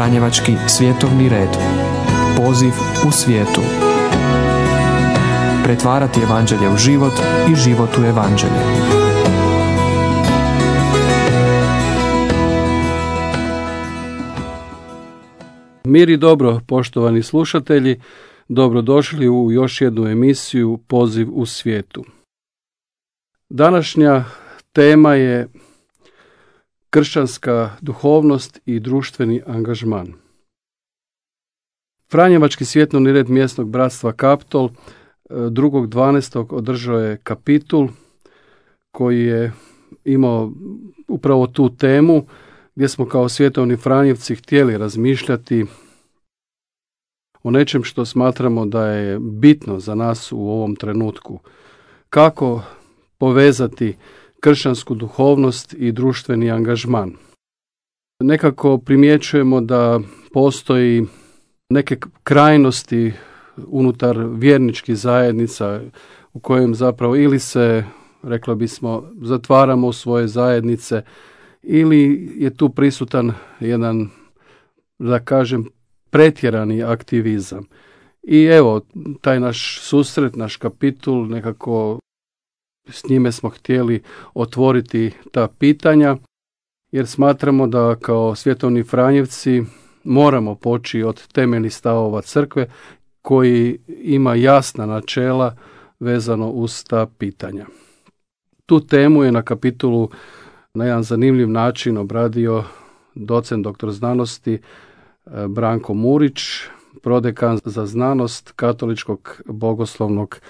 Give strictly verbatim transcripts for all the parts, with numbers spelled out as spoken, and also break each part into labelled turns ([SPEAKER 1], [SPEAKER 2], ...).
[SPEAKER 1] Franjevački svjetovni red. Poziv u svijetu. Pretvarati evanđelje u život i život u evanđelje.
[SPEAKER 2] Mir i dobro, poštovani slušatelji, dobrodošli u još jednu emisiju Poziv u svijetu. Današnja tema je kršćanska duhovnost i društveni angažman. Franjevački svjetovni red mjesnog bratstva Kaptol drugog dvanaestog održao je kapitul koji je imao upravo tu temu gdje smo kao svjetovni Franjevci htjeli razmišljati o nečem što smatramo da je bitno za nas u ovom trenutku. Kako povezati kršćansku duhovnost i društveni angažman. Nekako primjećujemo da postoji neke krajnosti unutar vjerničkih zajednica u kojem zapravo ili se, reklo bismo, zatvaramo u svoje zajednice ili je tu prisutan jedan, da kažem, pretjerani aktivizam. I evo, taj naš susret, naš kapitul, nekako s njime smo htjeli otvoriti ta pitanja, jer smatramo da kao svjetovni Franjevci moramo poći od temeljnih stavova crkve koji ima jasna načela vezano uz ta pitanja. Tu temu je na kapitulu na jedan zanimljiv način obradio docent doktor znanosti Branko Murić, prodekan za znanost Katoličkog bogoslovnog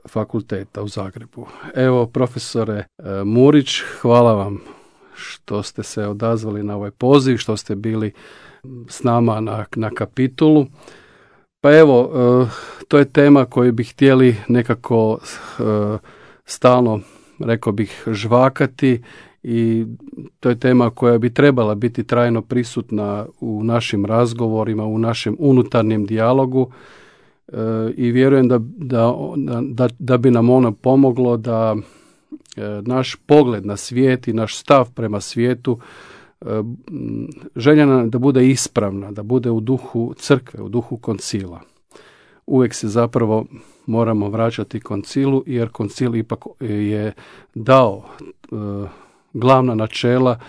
[SPEAKER 2] fakulteta u Zagrebu. Evo, profesore Murić, hvala vam što ste se odazvali na ovaj poziv, što ste bili s nama na, na kapitulu. Pa evo, to je tema koju bi htjeli nekako stalno, rekao bih, žvakati i to je tema koja bi trebala biti trajno prisutna u našim razgovorima, u našem unutarnjem dijalogu i vjerujem da, da, da, da bi nam ono pomoglo da naš pogled na svijet i naš stav prema svijetu željena da bude ispravna, da bude u duhu crkve, u duhu koncila. Uvijek se zapravo moramo vraćati koncilu, jer koncil ipak je dao e, glavna načela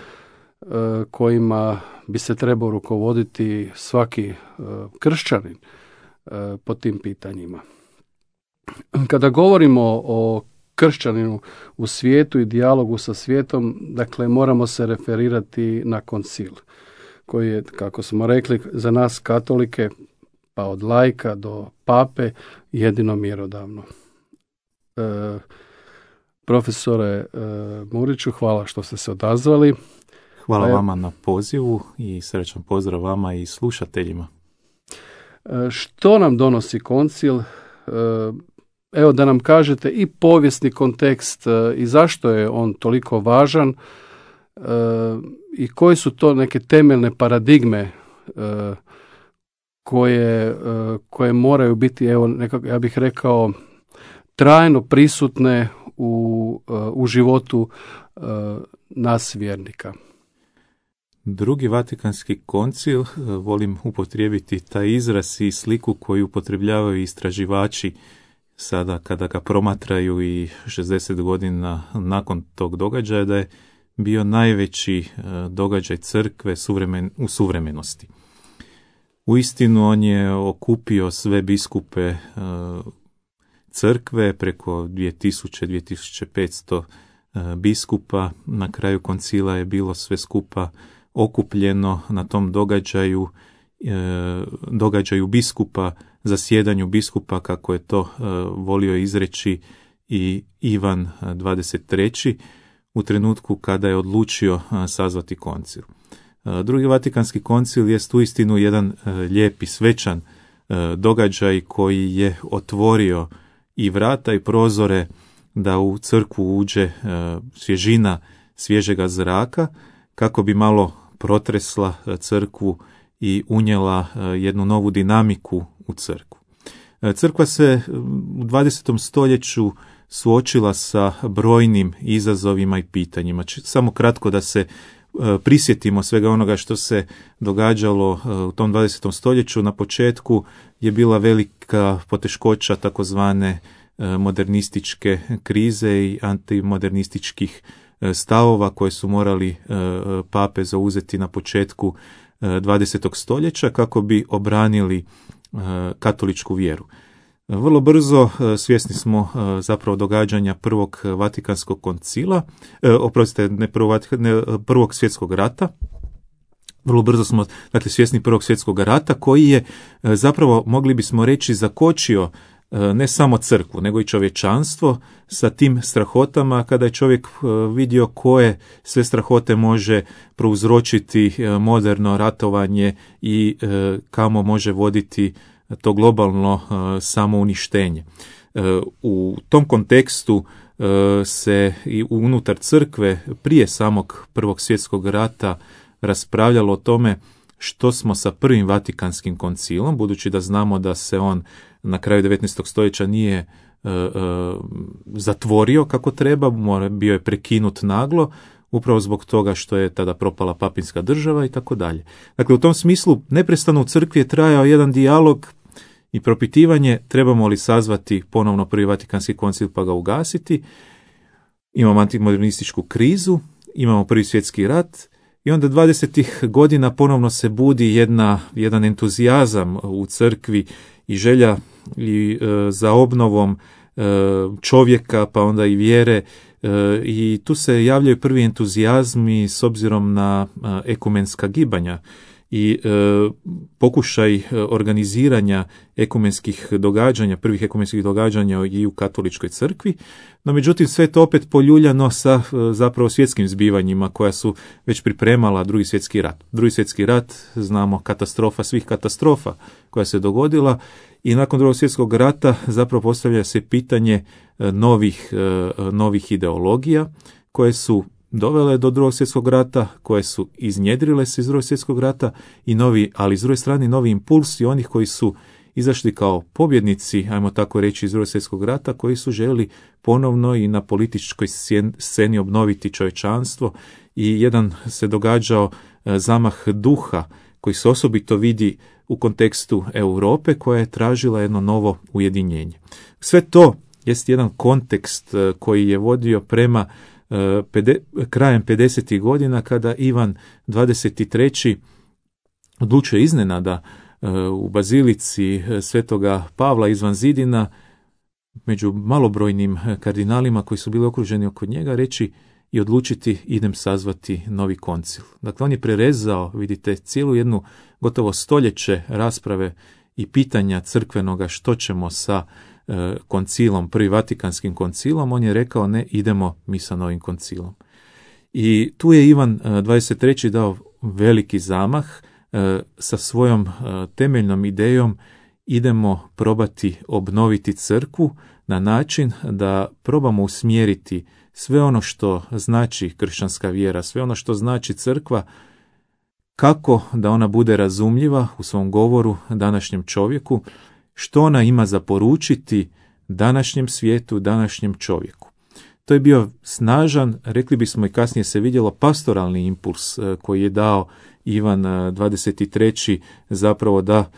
[SPEAKER 2] e, kojima bi se trebao rukovoditi svaki e, kršćanin e, po tim pitanjima. Kada govorimo o kršćaninu u svijetu i dijalogu sa svijetom, dakle moramo se referirati na koncil, koji je, kako smo rekli, za nas katolike, pa od laika do pape, jedino mjerodavno. E, profesore e, Muriću, hvala što ste se odazvali.
[SPEAKER 3] Hvala vama na pozivu i srećan pozdrav vama i slušateljima.
[SPEAKER 2] E, što nam donosi koncil? E, Evo da nam kažete i povijesni kontekst e, i zašto je on toliko važan e, i koje su to neke temeljne paradigme e, koje, e, koje moraju biti, evo, nekako, ja bih rekao, trajno prisutne u, e, u životu e, nas vjernika.
[SPEAKER 3] Drugi Vatikanski koncil, volim upotrijebiti taj izraz i sliku koju upotrebljavaju istraživači sada kada ga promatraju i šezdeset godina nakon tog događaja, da je bio najveći događaj crkve suvremen, u suvremenosti. Uistinu on je okupio sve biskupe crkve, preko dvije tisuće do dvije tisuće petsto biskupa. Na kraju koncila je bilo sve skupa okupljeno na tom događaju, događaju biskupa, zasjedanju biskupa, kako je to uh, volio izreći i Ivan dvadeset treći u trenutku kada je odlučio uh, sazvati koncil. Uh, drugi Vatikanski koncil jest uistinu jedan uh, lijep i svečan uh, događaj koji je otvorio i vrata i prozore da u crkvu uđe uh, svježina svježega zraka, kako bi malo protresla uh, crkvu i unijela uh, jednu novu dinamiku u crkvu. Crkva se u dvadesetom stoljeću suočila sa brojnim izazovima i pitanjima. Samo kratko da se prisjetimo svega onoga što se događalo u tom dvadesetom stoljeću, na početku je bila velika poteškoća takozvane modernističke krize i antimodernističkih stavova koje su morali pape zauzeti na početku dvadesetog stoljeća kako bi obranili katoličku vjeru. Vrlo brzo svjesni smo zapravo događanja prvog Vatikanskog koncila, oprostite, ne prvog, ne prvog svjetskog rata. Vrlo brzo smo dakle svjesni prvog svjetskog rata koji je zapravo, mogli bismo reći, zakočio ne samo crkvu, nego i čovječanstvo sa tim strahotama, kada je čovjek vidio koje sve strahote može prouzročiti moderno ratovanje i kamo može voditi to globalno samouništenje. U tom kontekstu se i unutar crkve prije samog prvog svjetskog rata raspravljalo o tome što smo sa prvim Vatikanskim koncilom, budući da znamo da se on na kraju devetnaestog stoljeća nije e, e, zatvorio kako treba, bio je prekinut naglo, upravo zbog toga što je tada propala papinska država i tako dalje. Dakle, u tom smislu neprestano u crkvi je trajao jedan dijalog i propitivanje trebamo li sazvati ponovno prvi Vatikanski koncil pa ga ugasiti. Imamo antimodernističku krizu, imamo prvi svjetski rat i onda dvadesetih godina ponovno se budi jedna, jedan entuzijazam u crkvi i želja i, e, za obnovom e, čovjeka pa onda i vjere e, i tu se javljaju prvi entuzijazmi s obzirom na e, ekumenska gibanja i e, pokušaj organiziranja ekumenskih događanja, prvih ekumenskih događanja i u katoličkoj crkvi, no međutim sve to opet poljuljano sa e, zapravo svjetskim zbivanjima koja su već pripremala drugi svjetski rat. Drugi svjetski rat, znamo, katastrofa svih katastrofa koja se dogodila i nakon drugog svjetskog rata zapravo postavlja se pitanje e, novih, e, novih ideologija koje su dovele do drugog svjetskog rata, koje su iznjedrile se iz drugog svjetskog rata i novi, ali s druge strane novi impulsi onih koji su izašli kao pobjednici, ajmo tako reći, iz drugog svjetskog rata, koji su željeli ponovno i na političkoj sceni obnoviti čovječanstvo i jedan se događao zamah duha koji se osobito vidi u kontekstu Europe koja je tražila jedno novo ujedinjenje. Sve to jest jedan kontekst koji je vodio prema Pede, krajem pedesetih godina kada Ivan dvadeset treći odlučuje iznenada u bazilici Svetoga Pavla izvan zidina među malobrojnim kardinalima koji su bili okruženi oko njega reći i odlučiti idem sazvati novi koncil. Dakle, on je prerezao, vidite, cijelu jednu gotovo stoljeće rasprave i pitanja crkvenoga što ćemo sa koncilom, prvi Vatikanskim koncilom, on je rekao ne, idemo mi sa novim koncilom. I tu je Ivan dvadeset treći dao veliki zamah sa svojom temeljnom idejom idemo probati obnoviti crkvu na način da probamo usmjeriti sve ono što znači kršćanska vjera, sve ono što znači crkva, kako da ona bude razumljiva u svom govoru današnjem čovjeku, što ona ima za poručiti današnjem svijetu, današnjem čovjeku. To je bio snažan, rekli bismo i kasnije se vidjelo, pastoralni impuls koji je dao Ivan dvadeset treći zapravo da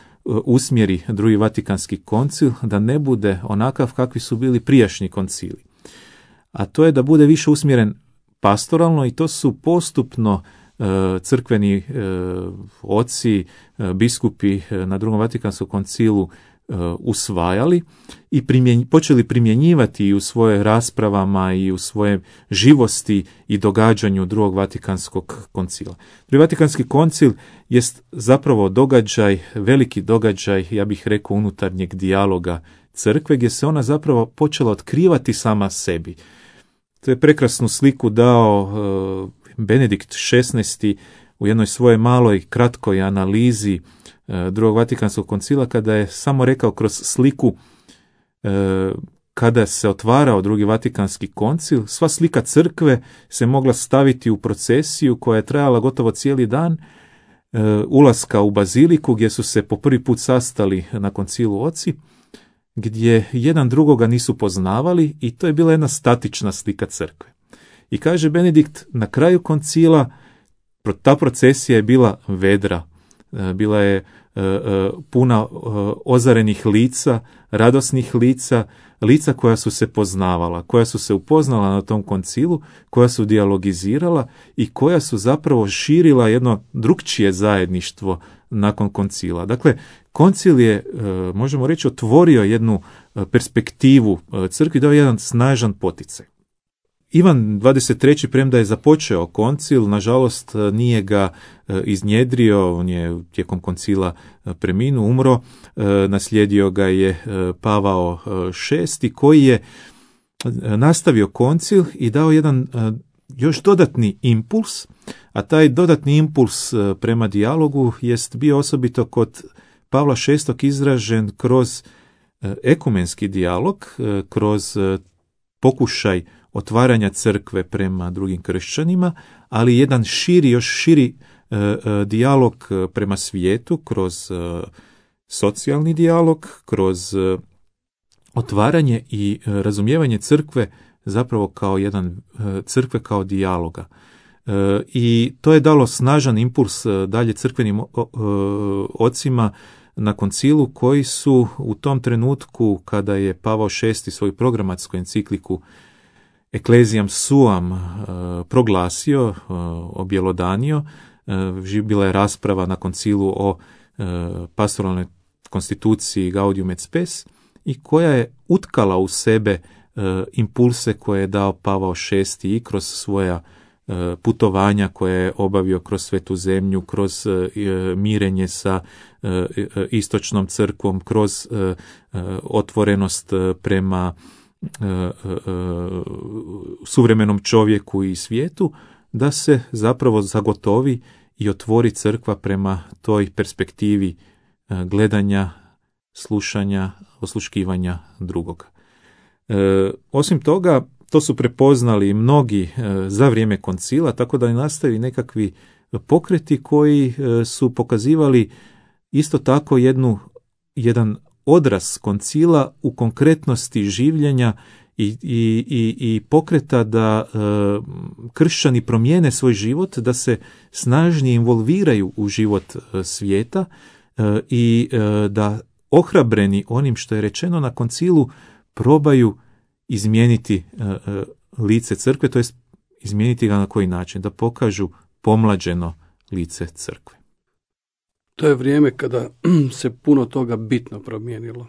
[SPEAKER 3] usmjeri drugi Vatikanski koncil, da ne bude onakav kakvi su bili prijašnji koncili. A to je da bude više usmjeren pastoralno i to su postupno crkveni oci, biskupi na drugom Vatikanskom koncilu usvajali i primjen, počeli primjenjivati i u svoje raspravama i u svoje živosti i događanju drugog Vatikanskog koncila. Drugi Vatikanski koncil jest zapravo događaj, veliki događaj, ja bih rekao, unutarnjeg dijaloga crkve, gdje se ona zapravo počela otkrivati sama sebi. To je prekrasnu sliku dao uh, Benedikt šesnaesti u jednoj svojoj maloj kratkoj analizi drugog Vatikanskog koncila, kada je samo rekao kroz sliku e, kada se otvarao drugi Vatikanski koncil, sva slika crkve se mogla staviti u procesiju koja je trajala gotovo cijeli dan, e, ulaska u baziliku gdje su se po prvi put sastali na koncilu oci, gdje jedan drugoga nisu poznavali i to je bila jedna statična slika crkve. I kaže Benedikt na kraju koncila, Ta procesija je bila vedra, bila je puna ozarenih lica, radosnih lica, lica koja su se poznavala, koja su se upoznala na tom koncilu, koja su dijalogizirala i koja su zapravo širila jedno drukčije zajedništvo nakon koncila. Dakle, koncil je, možemo reći, otvorio jednu perspektivu crkvi, dao jedan snažan poticaj. Ivan dvadeset treći premda je započeo koncil, nažalost nije ga iznjedrio, on je tijekom koncila preminuo, umro, naslijedio ga je Pavao šesti koji je nastavio koncil i dao jedan još dodatni impuls, a taj dodatni impuls prema dijalogu jest bio osobito kod Pavla šestog izražen kroz ekumenski dijalog, kroz pokušaj otvaranja crkve prema drugim kršćanima, ali jedan širi, još širi e, e, dijalog prema svijetu, kroz e, socijalni dijalog, kroz e, otvaranje i e, razumijevanje crkve zapravo kao jedan e, crkve kao dijaloga. E, I to je dalo snažan impuls e, dalje crkvenim o, e, ocima na koncilu koji su u tom trenutku kada je Pavao šesti svoju programatsku encikliku Ecclesiam Suam uh, proglasio, uh, objelodanio, uh, bila je rasprava na koncilu o uh, pastoralnoj konstituciji Gaudium et Spes i koja je utkala u sebe uh, impulse koje je dao Pavao šesti i kroz svoja uh, putovanja koje je obavio kroz Svetu zemlju, kroz uh, mirenje sa uh, istočnom crkvom, kroz uh, uh, otvorenost uh, prema suvremenom čovjeku i svijetu, da se zapravo zagotovi i otvori crkva prema toj perspektivi gledanja, slušanja, osluškivanja drugoga. Osim toga, to su prepoznali mnogi za vrijeme koncila, tako da nastaju nekakvi pokreti koji su pokazivali isto tako jednu, jedan odraz koncila u konkretnosti življenja i, i, i, i pokreta da e, kršćani promijene svoj život, da se snažnije involviraju u život e, svijeta e, i e, da ohrabreni onim što je rečeno na koncilu probaju izmijeniti e, e, lice crkve, to jest izmijeniti ga na koji način, da pokažu pomlađeno lice crkve.
[SPEAKER 2] To je vrijeme kada se puno toga bitno promijenilo.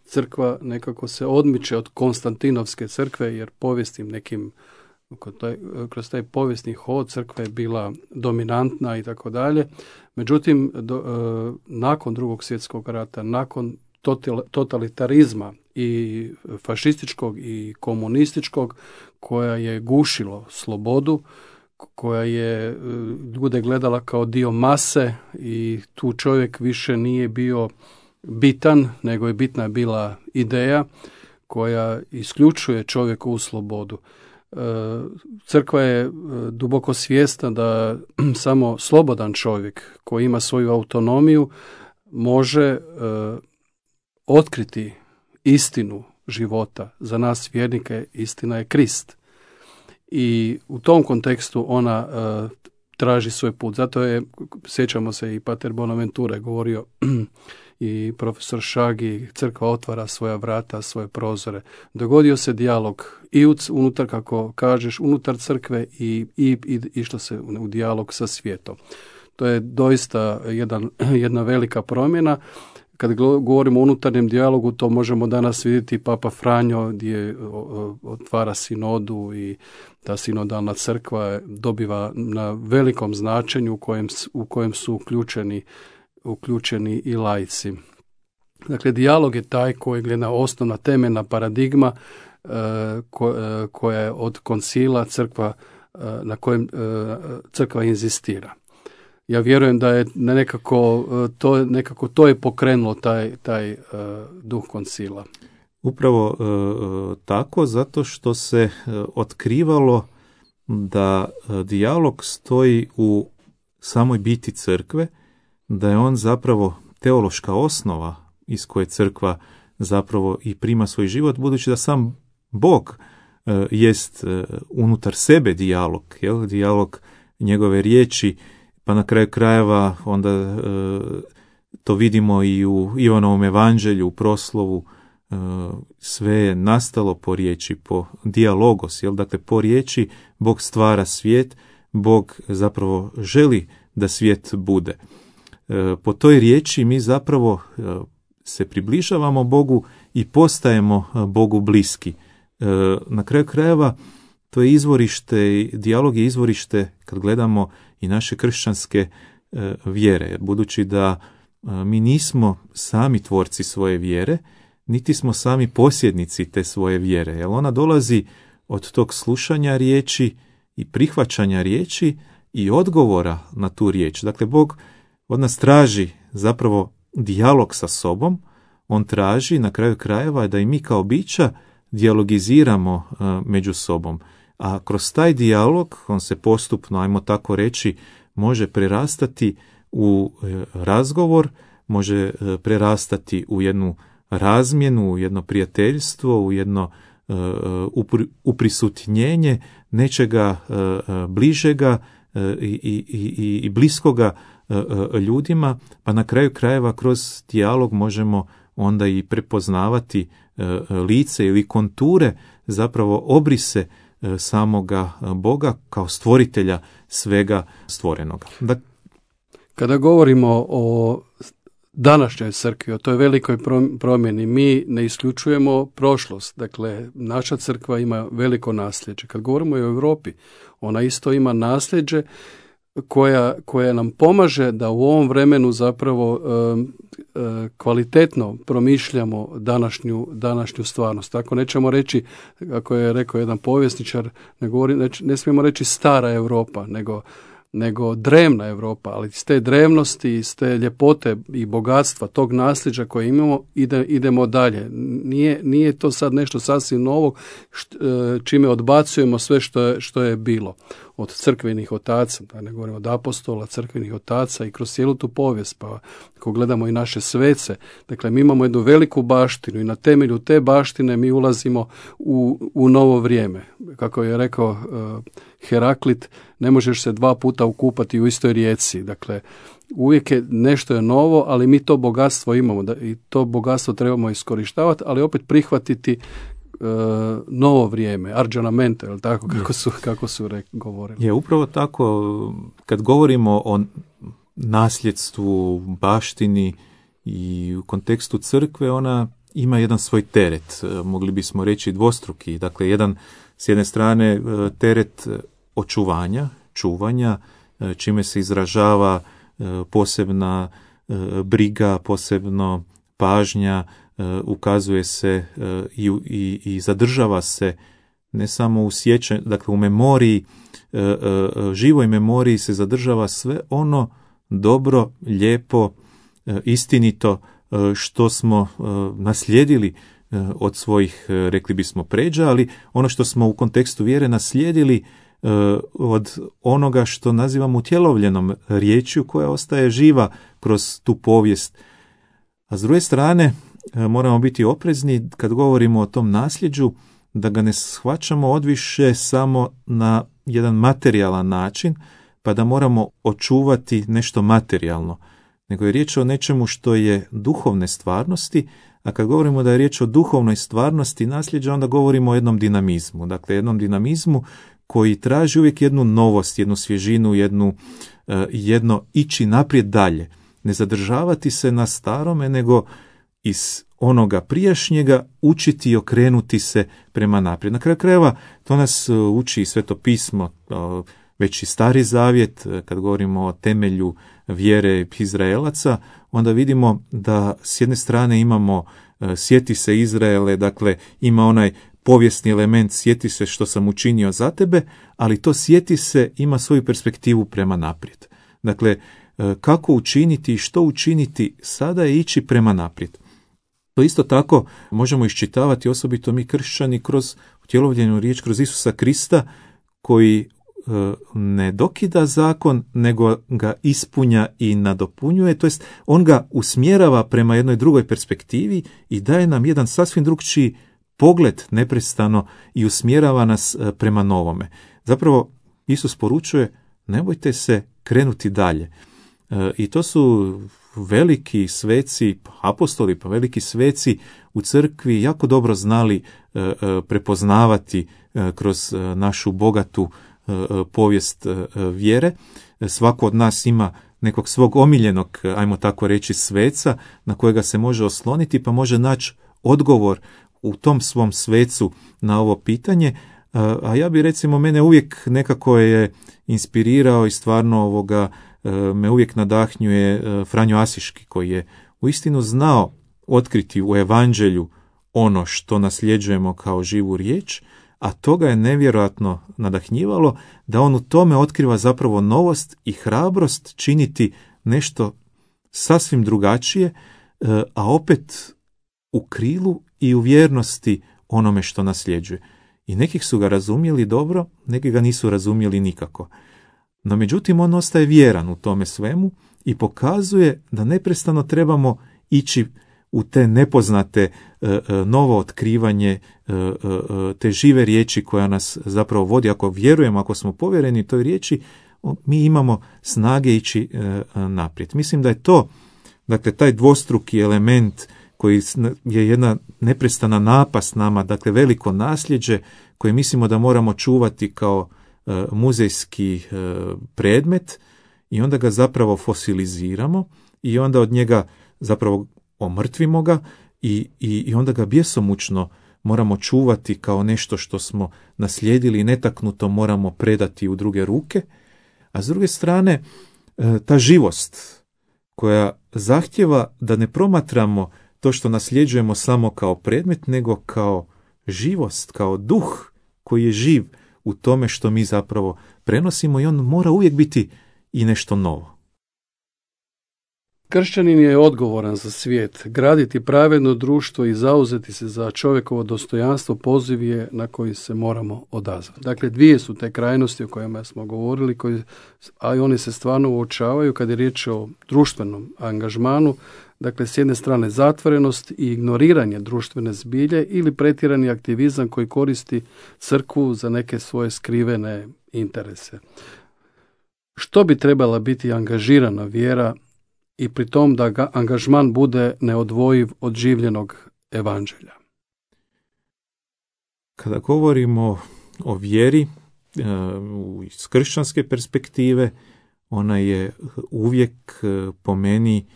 [SPEAKER 2] Crkva nekako se odmiče od Konstantinovske crkve, jer povijesnim nekim, kroz taj povijesni hod crkva je bila dominantna i tako dalje. Međutim, do, nakon drugog svjetskog rata, nakon totalitarizma i fašističkog i komunističkog, koja je gušilo slobodu, koja je ljude gledala kao dio mase i tu čovjek više nije bio bitan, nego je bitna bila ideja koja isključuje čovjekovu slobodu. Crkva je duboko svjesna da samo slobodan čovjek koji ima svoju autonomiju može otkriti istinu života. Za nas vjernike istina je Krist. I u tom kontekstu ona uh, traži svoj put. Zato je, sjećamo se, i pater Bonaventure govorio i profesor Šagi, crkva otvara svoja vrata, svoje prozore. Dogodio se dijalog i unutar, kako kažeš, unutar crkve i, i, i išlo se u dijalog sa svijetom. To je doista jedan, jedna velika promjena. Kad govorimo o unutarnjem dijalogu, to možemo danas vidjeti Papa Franjo gdje otvara sinodu i ta sinodalna crkva dobiva na velikom značenju u kojem, u kojem su uključeni, uključeni i laici. Dakle, dijalog je taj koji je jedna osnovna temeljna paradigma koja je od koncila crkva, na kojem crkva inzistira. Ja vjerujem da je nekako to, nekako to je pokrenulo taj, taj uh, duh koncila.
[SPEAKER 3] Upravo uh, tako, zato što se uh, otkrivalo da uh, dijalog stoji u samoj biti crkve, da je on zapravo teološka osnova iz koje crkva zapravo i prima svoj život, budući da sam Bog uh, jest uh, unutar sebe dijalog, jel? Dijalog njegove riječi, pa na kraju krajeva onda e, to vidimo i u Ivanovom evanđelju, u proslovu, e, sve je nastalo po riječi, po dijalogos, jel? Dakle, po riječi Bog stvara svijet, Bog zapravo želi da svijet bude. E, po toj riječi mi zapravo e, se približavamo Bogu i postajemo Bogu bliski. E, na kraju krajeva to je izvorište, dijalog je izvorište kad gledamo i naše kršćanske e, vjere, budući da e, mi nismo sami tvorci svoje vjere, niti smo sami posjednici te svoje vjere, jer ona dolazi od tog slušanja riječi i prihvaćanja riječi i odgovora na tu riječ. Dakle, Bog od nas traži zapravo dijalog sa sobom, on traži na kraju krajeva da i mi kao bića dijalogiziramo uh, među sobom. A kroz taj dijalog, on se postupno, ajmo tako reći, može prerastati u uh, razgovor, može uh, prerastati u jednu razmjenu, u jedno prijateljstvo, u jedno uh, upri, uprisutnjenje nečega uh, bližega uh, i, i, i, i bliskoga uh, ljudima, pa na kraju krajeva kroz dijalog možemo onda i prepoznavati uh, lice ili konture, zapravo obrise uh, samoga Boga kao stvoritelja svega stvorenoga. Da...
[SPEAKER 2] Kada govorimo o današnjoj crkvi, o toj velikoj promjeni, mi ne isključujemo prošlost. Dakle, naša crkva ima veliko nasljeđe. Kad govorimo o Europi, ona isto ima nasljeđe koja, koja nam pomaže da u ovom vremenu zapravo e, e, kvalitetno promišljamo današnju, današnju stvarnost. Tako nećemo reći, kako je rekao jedan povjesničar, ne, govori, ne, ne smijemo reći stara Europa, nego nego drevna Europa, ali iz te drevnosti, iz te ljepote i bogatstva tog nasljeđa koje imamo, ide, idemo dalje. Nije, nije to sad nešto sasvim novo št, čime odbacujemo sve što je, što je bilo. Od crkvenih otaca, da ne govorimo od apostola, crkvenih otaca i kroz cijelu tu povijest, pa ako gledamo i naše svece, dakle mi imamo jednu veliku baštinu i na temelju te baštine mi ulazimo u, u novo vrijeme. Kako je rekao uh, Heraklit, ne možeš se dva puta ukupati u istoj rijeci. Dakle, uvijek je nešto je novo, ali mi to bogatstvo imamo da, i to bogatstvo trebamo iskorištavati, ali opet prihvatiti uh, novo vrijeme, arđanamento, je tako kako su, kako su re, govorili.
[SPEAKER 3] Je upravo tako, kad govorimo o nasljedstvu, baštini i u kontekstu crkve, ona ima jedan svoj teret, mogli bismo reći dvostruki. Dakle, jedan s jedne strane teret očuvanja, čuvanja, čime se izražava posebna briga, posebno pažnja, ukazuje se i, i, i zadržava se ne samo u sjećanju, dakle u memoriji, živoj memoriji se zadržava sve ono dobro, lijepo, istinito što smo naslijedili od svojih, rekli bismo, pređa, ali ono što smo u kontekstu vjere naslijedili od onoga što nazivamo utjelovljenom riječju koja ostaje živa kroz tu povijest. A s druge strane, moramo biti oprezni kad govorimo o tom nasljeđu, da ga ne shvaćamo odviše samo na jedan materijalan način, pa da moramo očuvati nešto materijalno, nego je riječ o nečemu što je duhovne stvarnosti, a kad govorimo da je riječ o duhovnoj stvarnosti nasljeđa, onda govorimo o jednom dinamizmu, dakle jednom dinamizmu koji traži uvijek jednu novost, jednu svježinu, jednu, jedno ići naprijed dalje, ne zadržavati se na starome, nego iz onoga prijašnjega učiti i okrenuti se prema naprijed. Na kraju krajeva to nas uči i Sveto pismo, već i Stari zavjet, kad govorimo o temelju vjere Izraelaca, onda vidimo da s jedne strane imamo sjeti se Izraele, dakle ima onaj povijesni element sjeti se što sam učinio za tebe, ali to sjeti se ima svoju perspektivu prema naprijed. Dakle, kako učiniti i što učiniti sada je ići prema naprijed. To isto tako možemo iščitavati, osobito mi kršćani, kroz utjelovljenu riječ, kroz Isusa Krista, koji ne dokida zakon, nego ga ispunja i nadopunjuje, to jest on ga usmjerava prema jednoj drugoj perspektivi i daje nam jedan sasvim drugčiji pogled neprestano i usmjerava nas prema novome. Zapravo, Isus poručuje ne bojte se krenuti dalje. E, I to su veliki sveci, apostoli, pa veliki sveci u crkvi jako dobro znali e, e, prepoznavati e, kroz e, našu bogatu e, povijest e, vjere. Svako od nas ima nekog svog omiljenog, ajmo tako reći, sveca na kojega se može osloniti, pa može naći odgovor u tom svom svecu na ovo pitanje. A ja bi, recimo, mene uvijek nekako je inspirirao i stvarno ovoga me uvijek nadahnjuje Franjo Asiški, koji je uistinu znao otkriti u evanđelju ono što nasljeđujemo kao živu riječ, a toga je nevjerojatno nadahnjivalo da on u tome otkriva zapravo novost i hrabrost činiti nešto sasvim drugačije, a opet u krilu i u vjernosti onome što nasljeđuje. I nekih su ga razumjeli dobro, neki ga nisu razumjeli nikako. No međutim, on ostaje vjeran u tome svemu i pokazuje da neprestano trebamo ići u te nepoznate novo otkrivanje te žive riječi koja nas zapravo vodi. Ako vjerujemo, ako smo povjereni toj riječi, mi imamo snage ići naprijed. Mislim da je to, dakle, taj dvostruki element koji je jedna neprestana napast nama, dakle veliko nasljeđe koje mislimo da moramo čuvati kao muzejski predmet i onda ga zapravo fosiliziramo i onda od njega zapravo omrtvimo ga i, i, i onda ga bjesomučno moramo čuvati kao nešto što smo naslijedili i netaknuto moramo predati u druge ruke. A s druge strane, ta živost koja zahtjeva da ne promatramo to što nasljeđujemo samo kao predmet, nego kao živost, kao duh koji je živ u tome što mi zapravo prenosimo i on mora uvijek biti i nešto novo.
[SPEAKER 2] Kršćanin je odgovoran za svijet. Graditi pravedno društvo i zauzeti se za čovjekovo dostojanstvo poziv je na koji se moramo odazvati. Dakle, dvije su te krajnosti o kojima smo govorili, koji, a i oni se stvarno uočavaju kad je riječ o društvenom angažmanu. Dakle, s jedne strane zatvorenost i ignoriranje društvene zbilje ili pretjerani aktivizam koji koristi crkvu za neke svoje skrivene interese. Što bi trebala biti angažirana vjera i pri tom da ga angažman bude neodvojiv od življenog evanđelja?
[SPEAKER 3] Kada govorimo o vjeri iz kršćanske perspektive, ona je uvijek po meni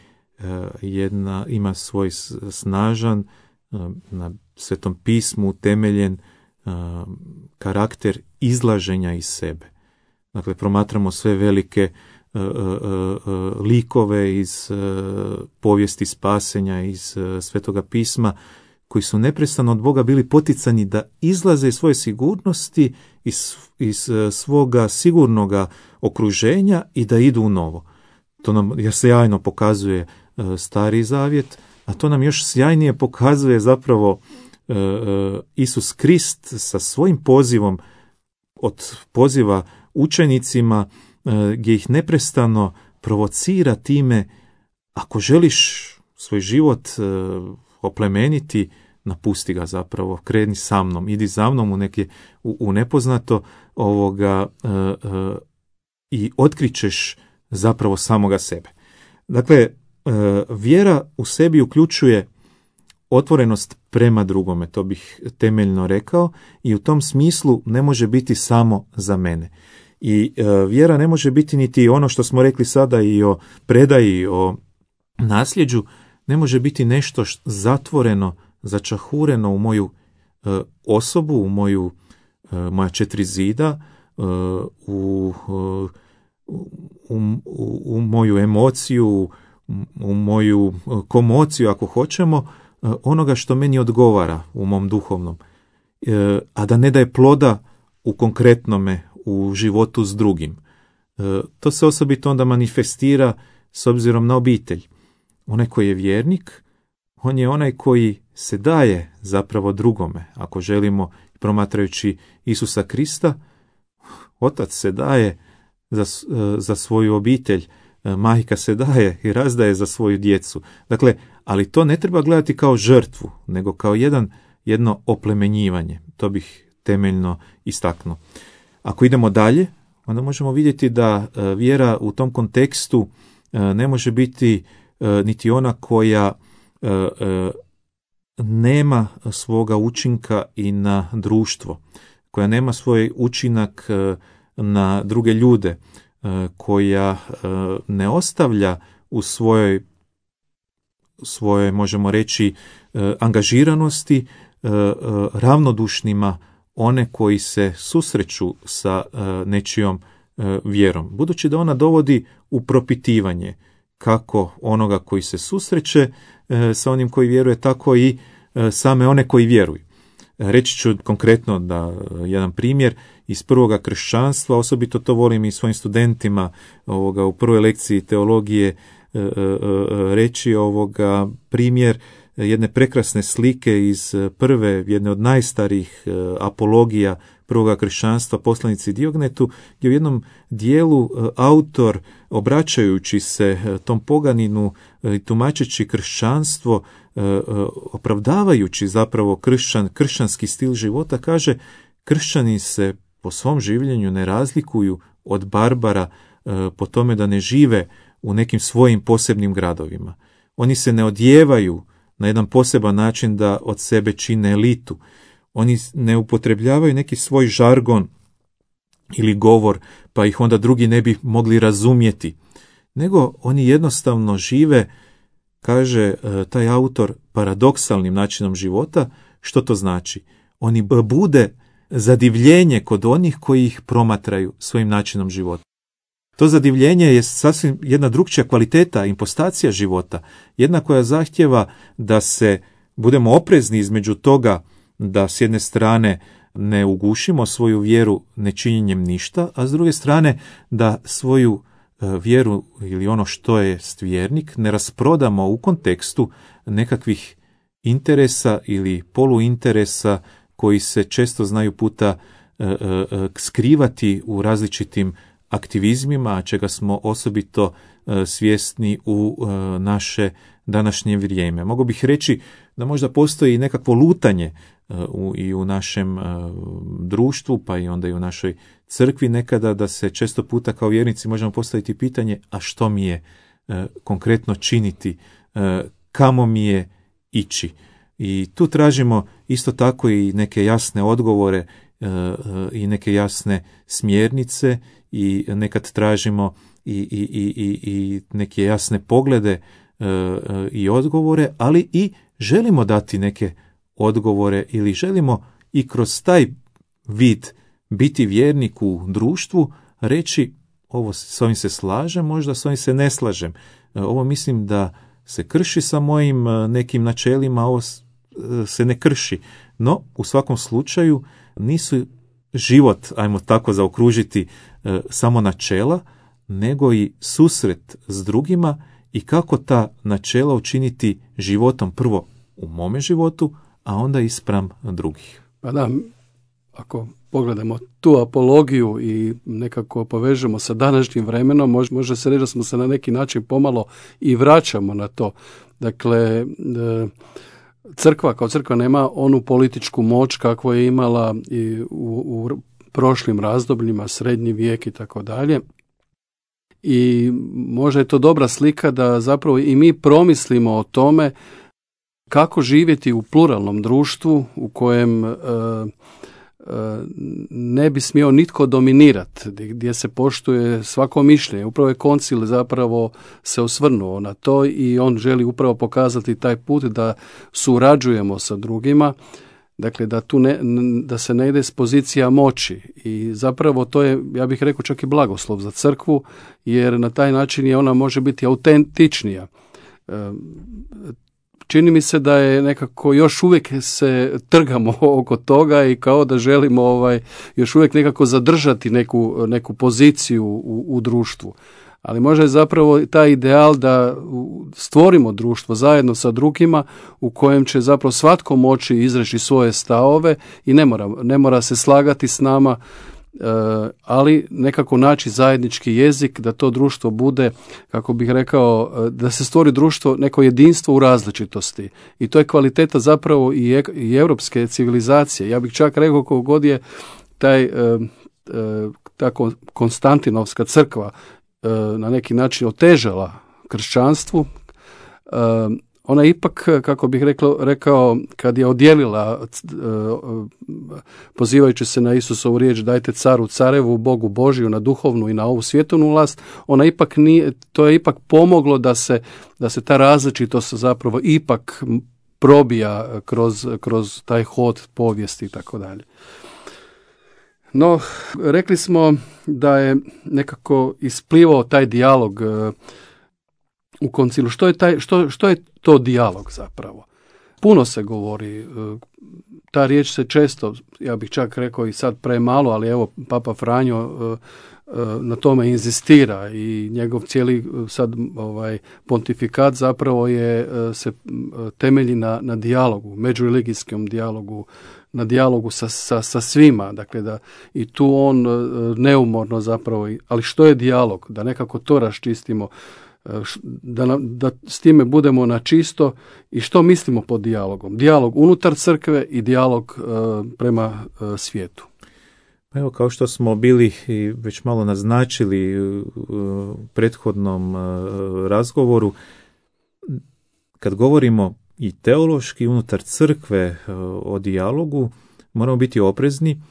[SPEAKER 3] jedna, ima svoj snažan, na Svetom pismu utemeljen karakter izlaženja iz sebe. Dakle, promatramo sve velike uh, uh, uh, likove iz uh, povijesti spasenja, iz uh, Svetoga pisma, koji su neprestano od Boga bili poticani da izlaze iz svoje sigurnosti, iz, iz uh, svoga sigurnoga okruženja i da idu u novo. To nam sjajno pokazuje uh, Stari Zavjet, a to nam još sjajnije pokazuje zapravo uh, uh, Isus Krist sa svojim pozivom, od poziva učenicima, gdje ih neprestano provocira time: ako želiš svoj život oplemeniti, napusti ga zapravo, kreni sa mnom, idi za mnom u, neke, u, u nepoznato ovoga, uh, uh, i otkrićeš zapravo samoga sebe. Dakle, uh, vjera u sebi uključuje otvorenost prema drugome, to bih temeljno rekao, i u tom smislu ne može biti samo za mene. I e, vjera ne može biti niti ono što smo rekli sada i o predaji, o nasljeđu, ne može biti nešto št, zatvoreno, začahureno u moju e, osobu, u moju e, moja četiri zida, e, u, u, u, u moju emociju, u, u moju komociju, ako hoćemo, onoga što meni odgovara u mom duhovnom, e, a da ne daje ploda u konkretnome, u životu s drugim. E, to se osobito onda manifestira s obzirom na obitelj. Onaj koji je vjernik, on je onaj koji se daje zapravo drugome. Ako želimo, promatrajući Isusa Krista, otac se daje za, za svoju obitelj, majka se daje i razdaje za svoju djecu. Dakle, ali to ne treba gledati kao žrtvu, nego kao jedan, jedno oplemenjivanje. To bih temeljno istaknuo. Ako idemo dalje, onda možemo vidjeti da vjera u tom kontekstu ne može biti niti ona koja nema svoga učinka i na društvo, koja nema svoj učinak na druge ljude, koja ne ostavlja u svojoj, svojoj, možemo reći, angažiranosti ravnodušnima one koji se susreću sa nečijom vjerom. Budući da ona dovodi u propitivanje kako onoga koji se susreće sa onim koji vjeruje, tako i same one koji vjeruju. Reći ću konkretno da jedan primjer iz prvoga kršćanstva, osobito to volim i svojim studentima ovoga, u prvoj lekciji teologije reći ovoga primjer jedne prekrasne slike iz prve, jedne od najstarijih apologija prvoga kršćanstva, poslanici Diognetu, gdje u jednom dijelu autor, obraćajući se tom poganinu i tumačeći kršćanstvo, opravdavajući zapravo kršćan, kršćanski stil života, kaže: kršćani se po svom življenju ne razlikuju od barbara po tome da ne žive u nekim svojim posebnim gradovima. Oni se ne odjevaju na jedan poseban način da od sebe čine elitu. Oni ne upotrebljavaju neki svoj žargon ili govor, pa ih onda drugi ne bi mogli razumjeti. Nego oni jednostavno žive, kaže taj autor, paradoksalnim načinom života. Što to znači? Oni bude zadivljenje kod onih koji ih promatraju svojim načinom života. To zadivljenje je sasvim jedna drukčija kvaliteta, impostacija života, jedna koja zahtjeva da se budemo oprezni između toga da s jedne strane ne ugušimo svoju vjeru nečinjenjem ništa, a s druge strane da svoju vjeru ili ono što je vjernik ne rasprodamo u kontekstu nekakvih interesa ili poluinteresa koji se često znaju puta skrivati u različitim aktivizmima, čega smo osobito svjesni u naše današnje vrijeme. Mogu bih reći da možda postoji nekakvo lutanje u, i u našem društvu, pa i onda i u našoj crkvi nekada, da se često puta kao vjernici možemo postaviti pitanje: a što mi je konkretno činiti, kamo mi je ići? I tu tražimo isto tako i neke jasne odgovore i neke jasne smjernice, i nekad tražimo i, i, i, i neke jasne poglede i odgovore, ali i želimo dati neke odgovore ili želimo i kroz taj vid biti vjernik u društvu, reći: ovo, s ovim se slažem, možda s ovim se ne slažem, ovo mislim da se krši sa mojim nekim načelima, ovo se ne krši. No, u svakom slučaju nisu život, ajmo tako zaokružiti, samo načela, nego i susret s drugima i kako ta načela učiniti životom, prvo u mome životu, a onda i spram drugih.
[SPEAKER 2] Pa da, ako pogledamo tu apologiju i nekako povežemo sa današnjim vremenom, može, može se reći da smo se na neki način pomalo i vraćamo na to. Dakle, crkva kao crkva nema onu političku moć kakvu je imala i u, u prošlim razdobljima, srednji vijek i tako dalje. I možda je to dobra slika da zapravo i mi promislimo o tome kako živjeti u pluralnom društvu u kojem e, e, ne bi smio nitko dominirati, gdje se poštuje svako mišljenje. Upravo je koncil zapravo se osvrnuo na to i on želi upravo pokazati taj put da surađujemo sa drugima. Dakle, da tu ne, da se ne ide s pozicija moći, i zapravo to je, ja bih rekao, čak i blagoslov za crkvu, jer na taj način je ona može biti autentičnija. Čini mi se da je nekako još uvijek se trgamo oko toga i kao da želimo ovaj još uvijek nekako zadržati neku, neku poziciju u, u društvu. Ali možda je zapravo taj ideal da stvorimo društvo zajedno sa drugima u kojem će zapravo svatko moći izreći svoje stavove i ne mora, ne mora se slagati s nama, ali nekako naći zajednički jezik, da to društvo bude, kako bih rekao, da se stvori društvo, neko jedinstvo u različitosti. I to je kvaliteta zapravo i, i europske civilizacije. Ja bih čak rekao, koliko god je taj tako Konstantinovska crkva na neki način otežala kršćanstvu, ona ipak, kako bih rekao, rekao kad je odjelila, pozivajući se na Isusovu riječ, dajte caru carevu, Bogu Božiju, na duhovnu i na ovu svjetovnu vlast, ona ipak nije, to je ipak pomoglo da se, da se ta različitost zapravo ipak probija kroz, kroz taj hod povijesti i tako dalje. No, rekli smo da je nekako isplivao taj dijalog u koncilu. Što je, taj, što, što je to dijalog zapravo? Puno se govori, ta riječ se često, ja bih čak rekao i sad premalo, ali evo Papa Franjo na tome inzistira i njegov cijeli sad ovaj pontifikat zapravo je se temelji na, na dijalogu, međureligijskom dijalogu, na dijalogu sa, sa, sa svima, dakle da i tu on neumorno zapravo, ali što je dijalog? Da nekako to raščistimo, da, da s time budemo na čisto i što mislimo pod dijalogom. Dijalog unutar crkve i dijalog uh, prema uh, svijetu.
[SPEAKER 3] Evo, kao što smo bili i već malo naznačili u prethodnom razgovoru, kad govorimo i teološki unutar crkve o dijalogu, moramo biti oprezni,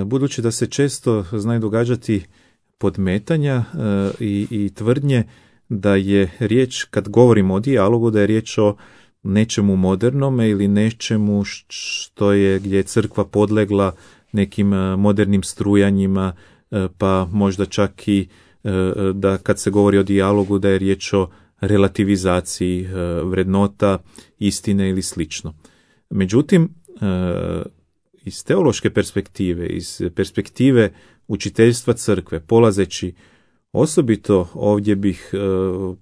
[SPEAKER 3] budući da se često znaju događati podmetanja i, i tvrdnje da je riječ, kad govorimo o dijalogu, da je riječ o nečemu modernome ili nečemu što je, gdje je crkva podlegla nekim modernim strujanjima, pa možda čak i da kad se govori o dijalogu da je riječ o relativizaciji vrednota, istine ili slično. Međutim, iz teološke perspektive, iz perspektive učiteljstva crkve, polazeći osobito ovdje bih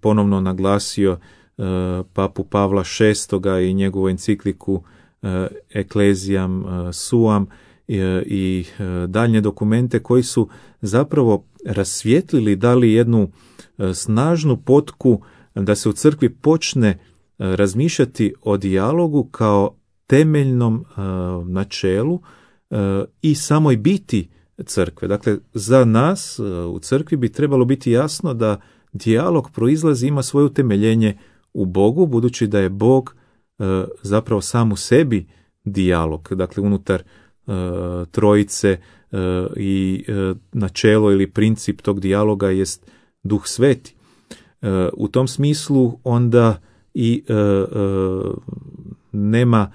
[SPEAKER 3] ponovno naglasio papu Pavla šestoga i njegovu encikliku Ecclesiam Suam i daljnje dokumente koji su zapravo rasvijetlili, dali jednu snažnu potku da se u crkvi počne razmišljati o dijalogu kao temeljnom načelu i samoj biti crkve. Dakle, za nas u crkvi bi trebalo biti jasno da dijalog proizlazi, ima svoje utemeljenje u Bogu, budući da je Bog zapravo sam u sebi dijalog, dakle unutar trojice i načelo ili princip tog dijaloga jest Duh Sveti. U tom smislu onda i nema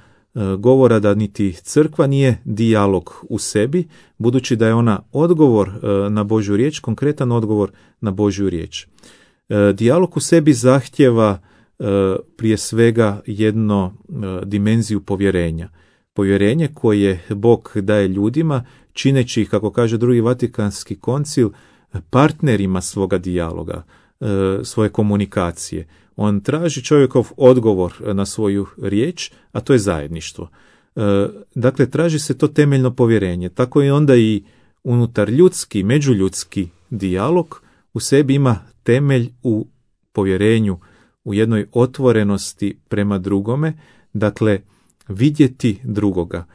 [SPEAKER 3] govora da niti crkva nije dijalog u sebi, budući da je ona odgovor na Božju riječ, konkretan odgovor na Božju riječ. Dijalog u sebi zahtjeva prije svega jedno dimenziju povjerenja. Povjerenje koje Bog daje ljudima, čineći ih, kako kaže drugi Vatikanski koncil, partnerima svoga dijaloga, svoje komunikacije. On traži čovjekov odgovor na svoju riječ, a to je zajedništvo. Dakle, traži se to temeljno povjerenje. Tako i onda i unutar ljudski, međuljudski dijalog u sebi ima temelj u povjerenju, u jednoj otvorenosti prema drugome, dakle, vidjeti drugoga.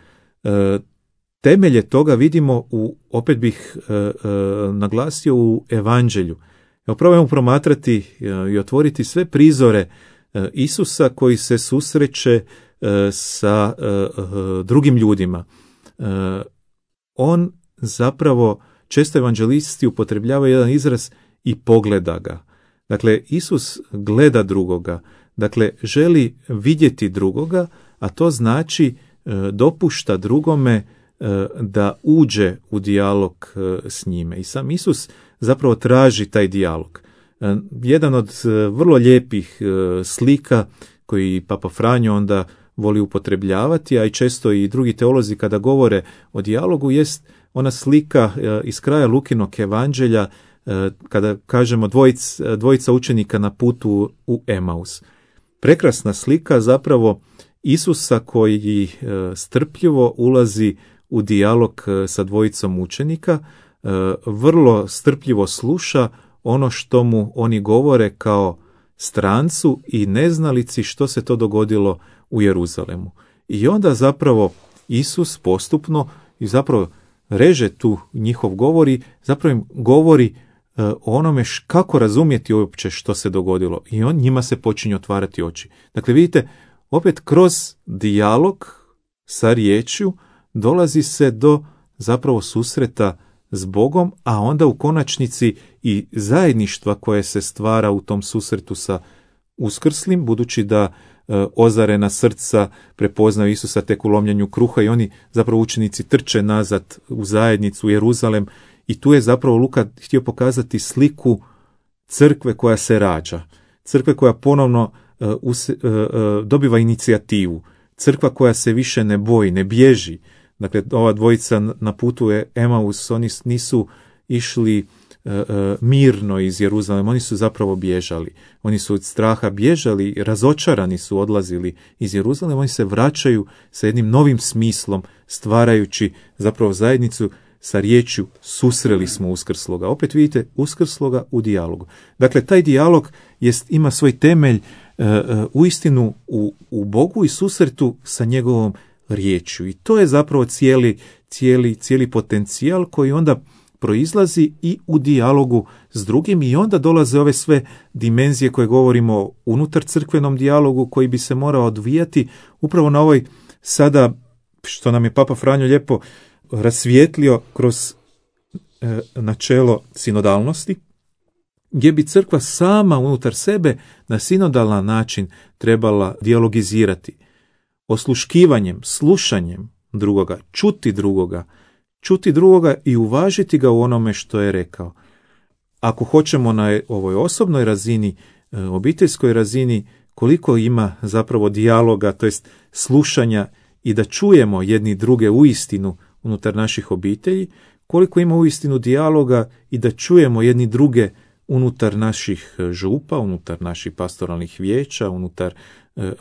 [SPEAKER 3] Temelje toga vidimo, u, opet bih e, e, naglasio, u evanđelju. Evo, probajmo promatrati e, i otvoriti sve prizore e, Isusa koji se susreće e, sa e, e, drugim ljudima. E, on zapravo, često evanđelisti upotrebljavaju jedan izraz i pogleda ga. Dakle, Isus gleda drugoga, dakle, želi vidjeti drugoga, a to znači e, dopušta drugome da uđe u dijalog s njime. I sam Isus zapravo traži taj dijalog. Jedan od vrlo lijepih slika koji Papa Franjo onda voli upotrebljavati, a i često i drugi teolozi kada govore o dijalogu, jest ona slika iz kraja Lukinog evanđelja kada kažemo dvojic, dvojica učenika na putu u Emaus. Prekrasna slika zapravo Isusa koji strpljivo ulazi u dijalog sa dvojicom učenika, vrlo strpljivo sluša ono što mu oni govore kao strancu i neznalici što se to dogodilo u Jeruzalemu. I onda zapravo Isus postupno i zapravo reže tu njihov govor i zapravo im govori o onome š, kako razumjeti uopće što se dogodilo. I on njima se počinje otvarati oči. Dakle, vidite, opet kroz dijalog sa riječju dolazi se do zapravo susreta s Bogom, a onda u konačnici i zajedništva koje se stvara u tom susretu sa uskrslim, budući da e, ozarena srca prepoznaju Isusa tek u lomljenju kruha i oni zapravo učenici trče nazad u zajednicu, u Jeruzalem, i tu je zapravo Luka htio pokazati sliku crkve koja se rađa, crkve koja ponovno e, us, e, e, dobiva inicijativu, crkva koja se više ne boji, ne bježi. Dakle, ova dvojica na putu je Emaus, oni nisu išli e, e, mirno iz Jeruzalema, oni su zapravo bježali. Oni su od straha bježali, razočarani su odlazili iz Jeruzalema, oni se vraćaju sa jednim novim smislom, stvarajući zapravo zajednicu sa riječju susreli smo uskrsloga. Opet vidite, uskrsloga u dijalogu. Dakle, taj dijalog jest, ima svoj temelj e, e, uistinu u, u Bogu i susretu sa njegovom riječju. I to je zapravo cijeli, cijeli, cijeli potencijal koji onda proizlazi i u dijalogu s drugim, i onda dolaze ove sve dimenzije koje govorimo unutar crkvenom dijalogu, koji bi se morao odvijati upravo na ovoj sada, što nam je Papa Franjo lijepo rasvijetlio kroz e, načelo sinodalnosti, gdje bi crkva sama unutar sebe na sinodalan način trebala dijalogizirati, osluškivanjem, slušanjem drugoga, čuti drugoga, čuti drugoga i uvažiti ga u onome što je rekao. Ako hoćemo na ovoj osobnoj razini, obiteljskoj razini, koliko ima zapravo dijaloga, to jest slušanja i da čujemo jedni druge uistinu unutar naših obitelji, koliko ima uistinu dijaloga i da čujemo jedni druge unutar naših župa, unutar naših pastoralnih vijeća, unutar e, e,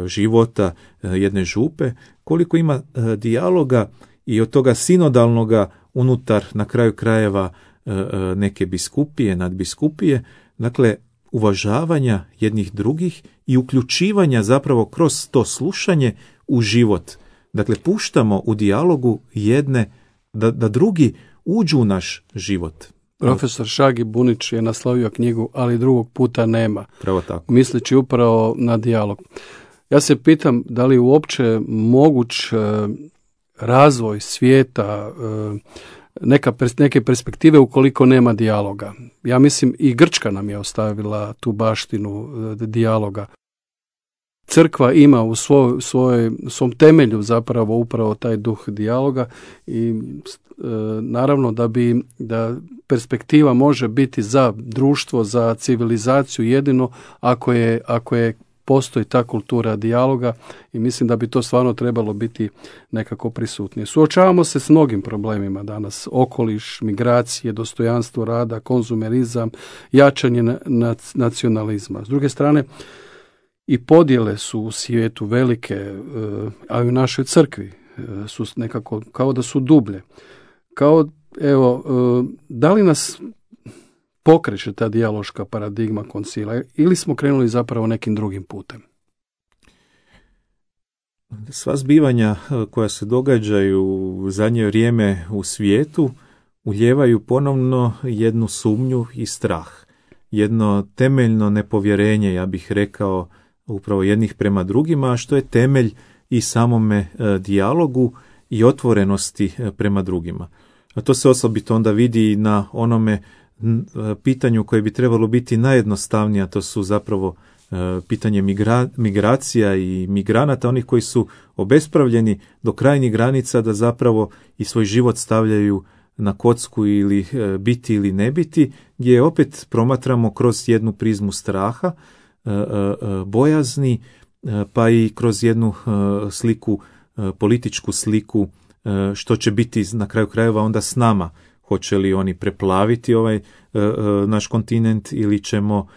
[SPEAKER 3] života e, jedne župe, koliko ima e, dijaloga i od toga sinodalnoga unutar, na kraju krajeva, e, e, neke biskupije, nadbiskupije, dakle, uvažavanja jednih drugih i uključivanja zapravo kroz to slušanje u život. Dakle, puštamo u dijalogu jedne, da, da drugi uđu u naš život.
[SPEAKER 2] Profesor Šagi Bunić je naslovio knjigu Ali drugog puta nema,
[SPEAKER 3] Pravo tako.
[SPEAKER 2] misleći upravo na dijalog. Ja se pitam da li je uopće moguć e, razvoj svijeta, e, neka, neke perspektive ukoliko nema dijaloga. Ja mislim i Grčka nam je ostavila tu baštinu e, dijaloga. Crkva ima u svoj, svoj, svom temelju zapravo upravo taj duh dijaloga i e, naravno da bi da perspektiva može biti za društvo, za civilizaciju jedino ako je, ako je postoji ta kultura dijaloga, i mislim da bi to stvarno trebalo biti nekako prisutnije. Suočavamo se s mnogim problemima danas: okoliš, migracije, dostojanstvo rada, konzumerizam, jačanje nacionalizma. S druge strane, i podjele su u svijetu velike, a i u našoj crkvi su nekako kao da su dublje. Kao, evo, da li nas pokreće ta dijaloška paradigma koncila ili smo krenuli zapravo nekim drugim putem?
[SPEAKER 3] Sva zbivanja koja se događaju u zadnje vrijeme u svijetu ulijevaju ponovno jednu sumnju i strah. Jedno temeljno nepovjerenje, ja bih rekao, upravo jednih prema drugima, što je temelj i samome e, dijalogu i otvorenosti e, prema drugima. A to se osobito onda vidi na onome e, pitanju koje bi trebalo biti najjednostavnije, a to su zapravo e, pitanje migra, migracija i migranata, onih koji su obespravljeni do krajnjih granica da zapravo i svoj život stavljaju na kocku ili e, biti ili ne biti, gdje opet promatramo kroz jednu prizmu straha, bojazni, pa i kroz jednu sliku, političku sliku, što će biti na kraju krajeva onda s nama. Hoće li oni preplaviti ovaj naš kontinent ili ćemo